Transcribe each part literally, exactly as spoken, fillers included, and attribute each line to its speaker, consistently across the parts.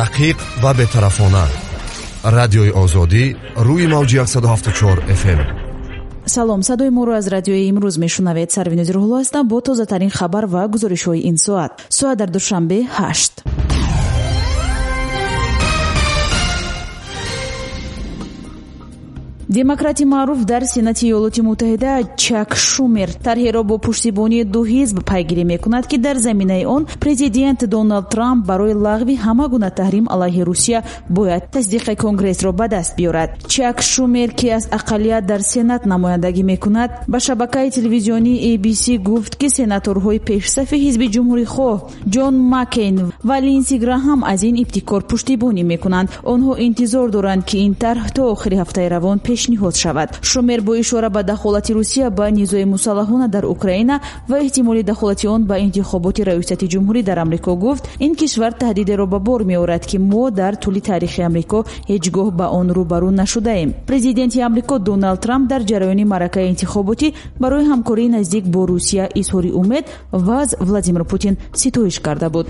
Speaker 1: Дақиқ ва бетарафона. Радиои Озодӣ рӯи мавҷи яксаду ҳафтоду чор эф эм.
Speaker 2: Салом, садои моро аз радиои имрӯз мешунавед. Сарвинози Рӯҳулло ҳастам бо тозатарин хабар ва гузоришҳои ин соат. Соат дар Душанбе ҳашт. Демократи маъруф дар Сенати Иёлоти Муттаҳида Чак Шумер тарҳеро бо пуштибонии ду ҳизб пайгирӣ мекунад, ки дар заминаи он президент Доналд Трамп барои лағви ҳама гуна таҳрим алайҳи Русия бояд тасдиқи Конгрессро ба даст биёрад. Чак Шумер, ки аз ақаллият дар Сенат намояндагӣ мекунад, ба шабакаи телевизионии Эй Би Си гуфт, ки сенаторҳои пешсафи ҳизби ҷумҳурихоҳ Ҷон Маккейн ва Линдси Граҳам аз ин ибтикор пуштибонӣ мекунанд. Онҳо интизор доранд, ки ин тарҳ то охири ҳафтаи равон пешниҳод шавад. Шумер бо ишора ба дахолати Русия ба низои мусаллаҳона дар Украина ва эҳтимоли дахолати он ба интихоботи раёсати ҷумҳурӣ дар Амрико гуфт, ин кишвар таҳдидеро ба бор меорад, ки мо дар тӯли таърихи Амрико ҳеҷ гоҳ ба он рӯбарӯ нашудаем. Президенти Амрико Доналд Трамп дар ҷараёни маъракаи интихоботӣ барои ҳамкории наздик бо Русия изҳори умед ва аз Владимир Путин ситоиш карда буд.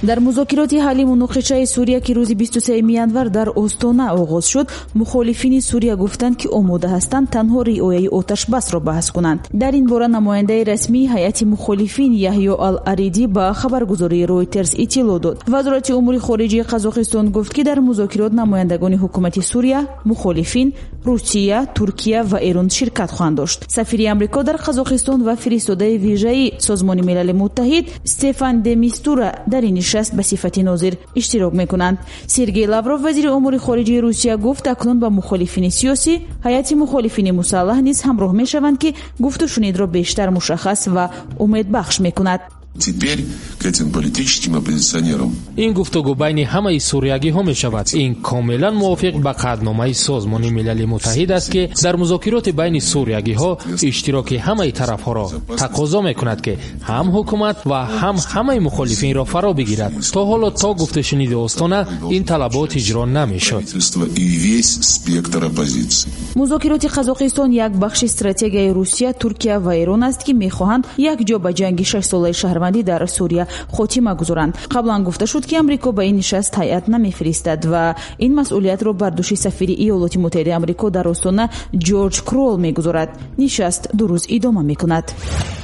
Speaker 2: Дар музокироти ҳалли муноқишаи Сурия, ки рӯзи бисту сеюми январ дар Остона оғоз шуд, мухолифини Сурия гуфтанд, ки омода ҳастанд танҳо риояи оташбасро баҳс кунанд. Дар ин бора намояндаи расмии ҳайати мухолифин Яҳё Ал-Аридӣ ба хабаргузории Ройтерс иттилоъ дод. Вазорати умури хориҷии Қазоқистон гуфт, ки дар музокирот намояндагони ҳукумати Сурия, мухолифин, Русия, Туркия ва Эрон ширкат хоҳанд дошт. Сафири Амрико дар Қазоқистон ва фиристодаи вижаи Созмони Милали Муттаҳид Стефан де Мистура дар ин нишаст ба сифати нозир иштирок мекунанд. Сергей Лавров, вазири умури хориҷии Русия, гуфт, акнун ба мухолифини сиёсӣ ҳайати мухолифини мусаллаҳ низ ҳамроҳ мешаванд, ки гуфтушунидро бештар мушаххас ва умедбахш мекунад.
Speaker 3: Теперь к этим политическим оппозиционерам.
Speaker 4: Ин гуфтугӯ байни ҳамаи суриягиҳо мешавад. Ин комилан мувофиқ ба қатъномаи Созмони Милали Муттаҳид аст, ки дар музокироти байни суриягиҳо иштироки ҳамаи тарафҳоро тақозо мекунад, ки ҳам ҳукумат ва ҳам ҳамаи мухолифинро фаро бигирад. То ҳоло то гуфтушуниди Остона ин талабот иҷро намешуд.
Speaker 2: Музокироти Қазоқистон як бахши стратегияи Русия, Туркия ва Эрон аст, ки мехоҳанд якҷо ба ҷанги шашсолаи шаҳрвандӣ дар Сурия хотима гузоранд. Қаблан гуфта шуд, ки Амрико ба ин нишаст ҳайат намефиристад ва ин масъулиятро бар дӯши сафири Иёлоти Муттаҳидаи Амрико дар Остона Ҷорҷ Крол мегузорад. Нишаст ду рӯз идома мекунад.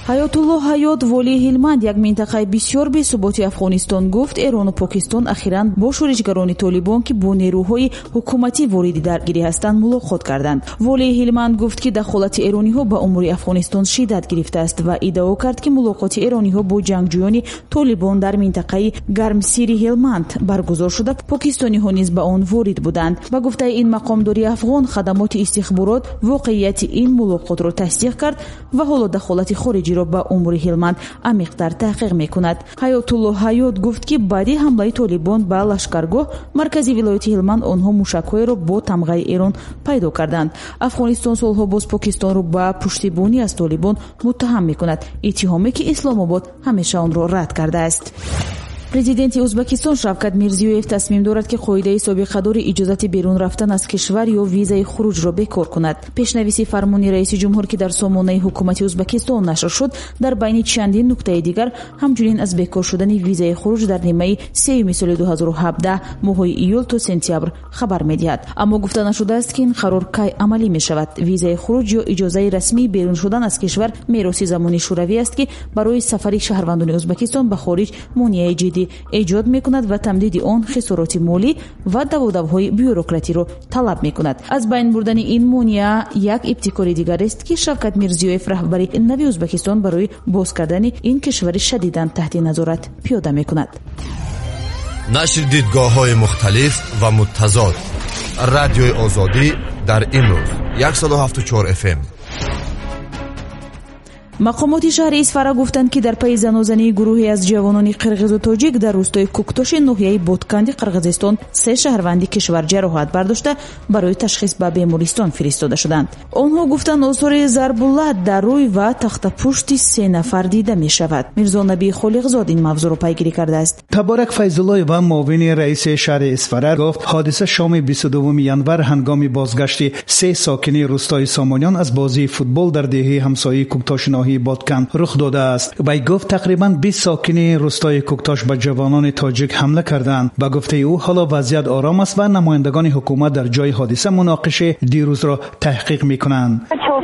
Speaker 2: Ҳаётулло Ҳаёт, волии Ҳилманд, як минтақаи бисёр бесуботи Афғонистон, гуфт Эрону Покистон ахиран бо шӯришгарони толибон, ки бо нерӯҳои ҳукуматӣ вориди даргирӣ ҳастанд, мулоқот карданд. Волии Ҳилманд гуфт, ки дахолати эрониҳо ба умури Афғонистон шиддат гирифтааст ва иддао кард, ки мулоқоти эрониҳо бо ҷангҷӯёни толибон дар минтақаи Гармсири Ҳилманд баргузор шуда, покистониҳо низ ба он ворид буданд. Ба гуфтаи ин мақомдори афғон, хадамоти истихборот воқеияти ин мулоқотро тасдиқ кард ва ҳоло дахолати хориҷиро ба умури Ҳилманд амиқтар таҳқиқ мекунад. Ҳаётулло Ҳаёт гуфт, ки баъди ҳамлаи толибон ба лашкаргоҳ маркази вилояти Ҳилманд онҳо мушакҳоеро бо тамғаи Эрон пайдо карданд. Афғонистон солҳо боз Покистонро ба пуштибонӣ аз толибон муттаҳам мекунад, иттиҳоме ки Исломобод ҳамеша онро рад кардааст. Президенти Ӯзбекистон Шавкат Мирзиёев тасмим дорад, ки қоидаи собиқадори иҷозати берун рафтан аз кишвар ё визаи хуруҷро бекор кунад. Пешнависи фармони раиси ҷумҳур, ки дар сомонаи ҳукумати Ӯзбекистон нашр шуд, дар байни чандин нуктаи дигар ҳамчунин аз бекор шудани визаи хуруҷ дар нимаи сеюми соли ду ҳазору ҳабдаҳ моҳҳои июл то сентябр хабар медиҳад. Аммо гуфта нашудааст, ки ин қарор кай амалӣ мешавад. Визаи хуруҷ ё иҷозаи расмии берун шудан аз кишвар мероси замони шӯравӣ аст, ки барои сафари шаҳрвандони Ӯзбекистон ба хориҷ монеаи ҷиддӣ эҷод мекунад ва тамдиди он хисороти молӣ ва даводавҳои бюрократиро талаб мекунад. Аз байн бурдани ин монеа як ибтикори дигар аст, ки Шавкат Мирзиёев, раҳбари нави Ӯзбекистон, барои боз кардани ин кишвари шадидан таҳти назорат пиёда мекунад.
Speaker 1: Нашри дидгоҳҳои мухталиф ва муттазод. Радиои Озодӣ дар имрӯз яксаду ҳафтоду чор эф эм.
Speaker 2: Мақомоти шаҳри Исфара гуфтанд, ки дар пайи занозании гурӯҳе аз ҷавонони қирғизу тоҷик дар рӯстои Куктоши ноҳияи Ботканди Қирғизистон се шаҳрванди кишвар ҷароҳат бардошта барои ташхис ба бемористон фиристода шуданд. Онҳо гуфтанд, осори зарбуллат дар рӯй ва тахтапушти се нафар дида мешавад. Мирзонаби Холиқзод ин мавзӯъро пайгирӣ кардааст.
Speaker 5: Таборак Файзуллоева, муовини раиси шаҳри Исфара, гуфт ҳодиса шоми бисту дуввуми январ ҳангоми бозгашти се сокини рӯстои Сомониён аз бозии футбол дар деҳаи ҳамсояи Куктоши ноҳияи ноҳияи Ботканд рух додааст. Вай гуфт тақрибан бист сокини рӯстои Кӯктош ба ҷавонони тоҷик ҳамла карданд. Ба гуфтаи ӯ ҳоло вазъият ором аст ва намояндагони ҳукумат дар ҷои ҳодиса муноқишаи дирӯзро таҳқиқ мекунанд.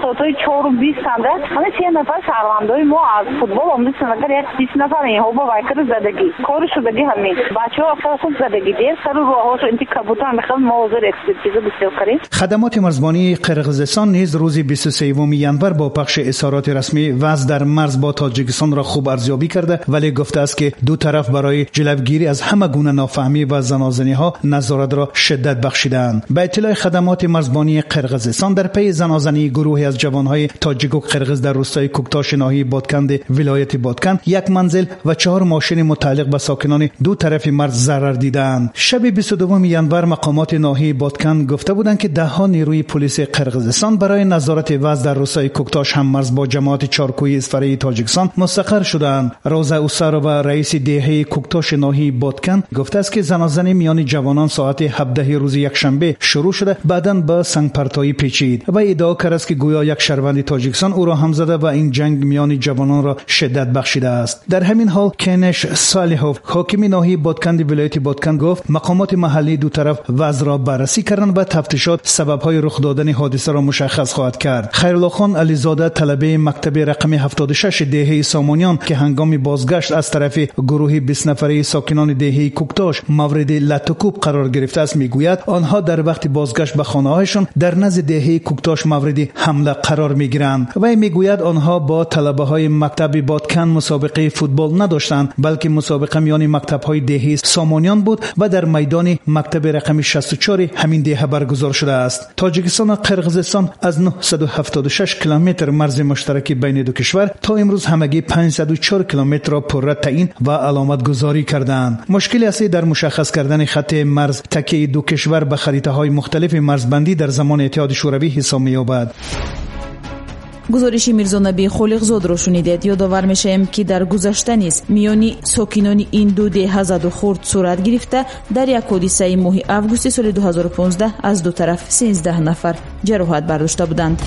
Speaker 6: Соатҳои чору бист анда ҳама се нафар шаҳрвандои мо аз футбол омаданд, агар як бист нафар инҳо бо вайкар задагӣ кори шудагӣ ҳамин бачаҳо хеле хуб задагӣ дер сару роҳҳошо инти кабутан мехоҳем мо ҳозир экспертиза бисёр кардем.
Speaker 5: Хадамоти марзбонии Қирғизистон низ рӯзи бисту сеюми январ бо пахши изҳороти расмӣ вазъ дар марз бо Тоҷикистонро хуб арзёбӣ карда, вале гуфтааст ки ду тараф барои ҷилавгирӣ аз ҳама гуна нофаҳмӣ ва занозаниҳо назоратро шиддат бахшидаанд. Ба иттилои хадамоти марзбонии Қирғизистон дар пайи занозании гурӯҳе аз ҷавонҳои тоҷику қирғиз дар рӯстои Кӯктоши ноҳияи Ботканди вилояти Ботканд як манзил ва чаҳор мошини мутааллиқ ба сокинони ду тарафи марз зарар дидаанд. Шаби бисту дуюми январ мақомоти ноҳияи Ботканд гуфта буданд ки даҳҳо нерӯи полиси Қирғизистон барои назорати вазъ дар рӯстои Кӯктош ҳам марз бо ҷамоати чоркӯҳи Исфараи Тоҷикистон мустақар шудаанд. Роза Усарова, раиси деҳаи Кӯктоши ноҳияи Ботканд, гуфтааст ки занозанӣ миёни ҷавонон соати ҳабдаҳи рӯзи якшанбе шурӯъ шуда, баъдан ба сангпартоӣ печид ва иддао кардааст ки гӯё як шаҳрванди Тоҷикистон ӯро ҳам зада ва ин ҷанг миёни ҷавононро шиддат бахшидааст. Дар ҳамин ҳол Кенеш Солиҳов, ҳокими ноҳияи Ботканди вилояти Ботканд, гуфт мақомоти маҳаллии ду тараф вазъро баррасӣ карданд ва тафтишот сабабҳои рух додани ҳодисаро мушаххас хоҳад кард. Хайруллохон Ализода, талабаи мактаби рақами ҳафтоду шаш деҳаи Сомониён, ки ҳангоми бозгашт аз тарафи гурӯҳи бист нафараи сокинони деҳаи Кӯктош мавриди латукӯб қарор гирифтааст, мегӯяд онҳо дар вақти бозгашт ба хонаҳояшон дар назди деҳаи Кӯктош мавриди ҳамла қарор мегиранд. Вай мегӯяд онҳо бо талабаҳои мактаби Ботканд мусобиқаи футбол надоштанд, балки мусобиқа миёни мактабҳои деҳаи Сомониён буд ва дар майдони мактаби рақами шасту чор ҳамин деҳа баргузор шудааст. Тоҷикистон ва Қирғизистон аз нӯҳсаду ҳафтоду шаш километр марзи муштараки байни ду кишвар то имрӯз ҳамагӣ панҷсаду чор километрро пурра таъин ва аломатгузорӣ кардаанд. Мушкили аслӣ дар мушаххас кардани хатти марз такияи ду кишвар ба харитаҳои мухталифи марзбандӣ дар замони Иттиҳоди Шӯравӣ ҳисоб меёбад.
Speaker 2: Гузориши Мирзонаби Холиқзодро шунидед. Ёдовар мешавем, ки дар гузашта низ миёни сокинони ин ду деҳа заду хурд сурат гирифта, дар як ҳодисаи моҳи августи соли ду ҳазору понздаҳ аз ду тараф сенздаҳ нафар ҷароҳат бардошта буданд.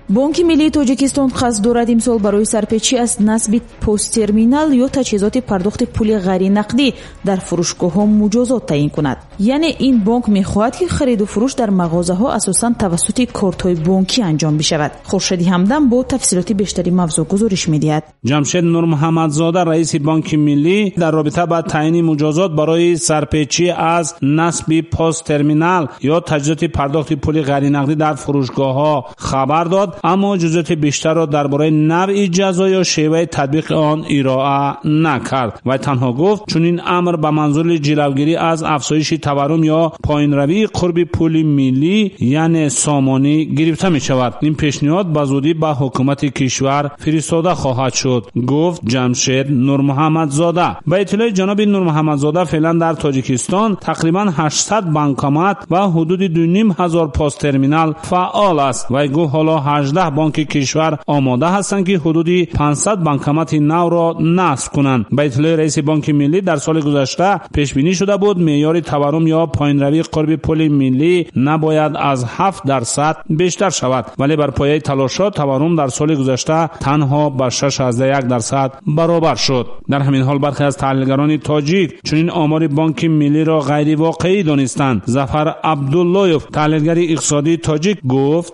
Speaker 2: Бонки миллии Тоҷикистон қасд дорад имсол барои сарпечӣ аз насби посттерминал ё таҷҳизоти пардохти пули ғайринақдӣ дар фурӯшгоҳҳо муҷозот таъин кунад. Яъне ин бонк мехоҳад, ки хариду фурӯш дар мағозаҳо асосан тавассути кортҳои бонкӣ анҷом бишавад. Хуршеди Ҳамдам бо тафсилоти бештари мавзӯъ гузориш медиҳад.
Speaker 7: Ҷамшед Нурмуҳаммадзода, раиси Бонки миллӣ, дар робита ба таъини муҷозот барои сарпечӣ аз насби посттерминал ё таҷҳизоти пардохти пули ғайринақдӣ дар фурӯшгоҳҳо хабар дод, аммо ҷузъиёти бештарро дар бораи навъи ҷазо ё шеваи татбиқи он ироа накард. Вай танҳо гуфт чунин амр ба манзури ҷилавгирӣ аз афзоиши таваррум ё поинравии қурби пули миллӣ, яъне сомонӣ, гирифта мешавад. Ин пешниҳод ба зудӣ ба ҳукумати кишвар фиристода хоҳад шуд, гуфт Ҷамшед Нурмуҳаммадзода. Ба иттилои ҷаноби Нурмуҳаммадзода, феълан дар Тоҷикистон тақрибан ҳаштсад банкомат ва ҳудуди ду ним ҳазор посттерминал фаъол аст. Вай гуфт ҳоло ҳаждаҳ бонки кишвар омода ҳастанд, ки ҳудуди панҷсад банкомати навро насб кунанд. Ба иттилои раиси Бонки миллӣ, дар соли гузашта пешбинӣ шуда буд меъёри таваррум ё поинравии қурби пули миллӣ набояд аз ҳафт дарсад бештар шавад, вале бар пояи талошҳо таваррум дар соли гузашта танҳо ба шаш аз як дарсад баробар шуд. Дар ҳамин ҳол бархе аз таҳлилгарони тоҷик чунин омори Бонки миллиро ғайривоқеӣ донистанд. Зафар Абдуллоев, таҳлилгари иқтисодии тоҷик, гуфт: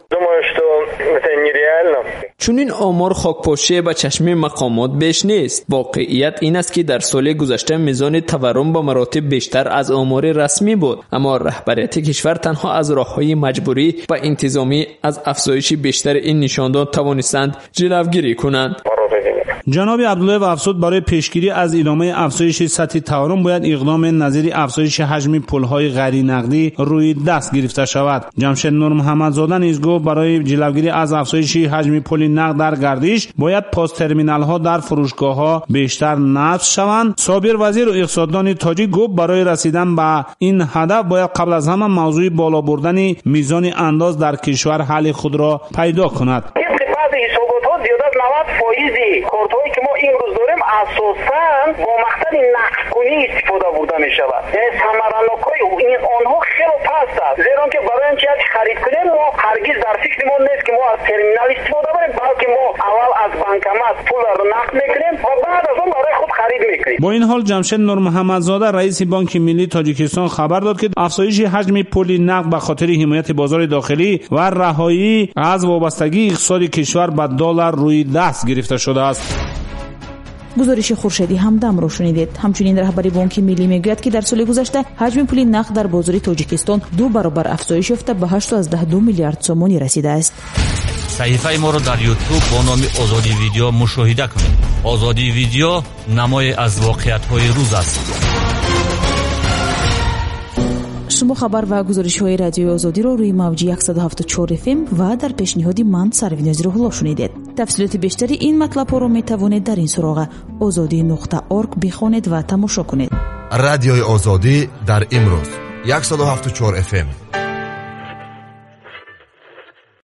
Speaker 8: чунин омор хокпошие ба чашми мақомот беш нест. Воқеият ин аст, ки дар соли гузашта мизони таваррум ба маротиб бештар аз омори расмӣ буд, аммо раҳбарияти кишвар танҳо аз роҳҳои маҷбурӣ ва интизомӣ аз афзоиши бештари ин нишондод тавонистанд ҷилавгирӣ кунанд.
Speaker 7: Ҷаноби Абдуллоев афзуд, барои пешгирӣ аз идомаи афзоиши сатҳи таваррум бояд иқдоми назири афзоиши ҳаҷми пулҳои ғайринақдӣ рӯи даст гирифта шавад. Ҷамшед Нурмуҳаммадзода низ гуфт барои ҷилавгирӣ аз афзоиши ҳаҷми пули нақд дар гардиш бояд посттерминалҳо дар фурӯшгоҳҳо бештар насб шаванд. Собир Вазиру, иқтисоддони тоҷик, гуфт барои расидан ба ин ҳадаф бояд қабл аз ҳама мавзӯи боло бурдани мизони андоз дар кишвар ҳалли худро пайдо кунад.
Speaker 9: навад фоизи кортҳое ки мо имрӯз дорем асосан бо мақсади нақдкунӣ истифода бурда мешавад. Яъне самаранокҳои онҳо хеле паст аст. аст, зеро ки барои он ки як харид кунем, мо ҳаргиз дар фикри мо нест ки мо аз терминал истифода барем, балки мо аввал аз банкомат пулро нақд мекунем ва баъд аз он барои худ харид мекунем.
Speaker 7: Бо ин ҳол Ҷамшед Нурмуҳаммадзода, раиси Бонки Миллии Тоҷикистон, хабар дод, ки афзоиши ҳаҷми пули нақд ба хотири ҳимояти бозори дохилӣ ва раҳоӣ аз вобастагии иқтисоди кишвар ба доллар рӯи даст гирифта шудааст.
Speaker 2: Гузориши Хуршеди Ҳамдамро шунидед. Ҳамчунин раҳбари Бонки Миллӣ мегӯяд, ки дар соли гузашта ҳаҷми пули нақд дар бозори Тоҷикистон ду баробар афзоиш ёфта ба ҳашту ду миллиард сомонӣ расидааст.
Speaker 10: Саҳифаи моро дар Ютуб бо номи Озодӣ Видео мушоҳида кунед. Озодӣ Видео намое аз воқеиятҳои рӯз аст.
Speaker 2: Шумо хабар ва гузоришҳои Радиои Озодиро рӯи мавҷи яксаду ҳафтоду чор эф эм ва дар пешниҳоди ман Сарвинози Рӯҳулло шунидед. Тафсилоти бештари ин матлабҳоро метавонед дар ин суроға озодӣ нуқта орг бихонед ва тамошо кунед.
Speaker 1: Радиои Озодӣ дар имрӯз яксаду ҳафтоду чор эф эм.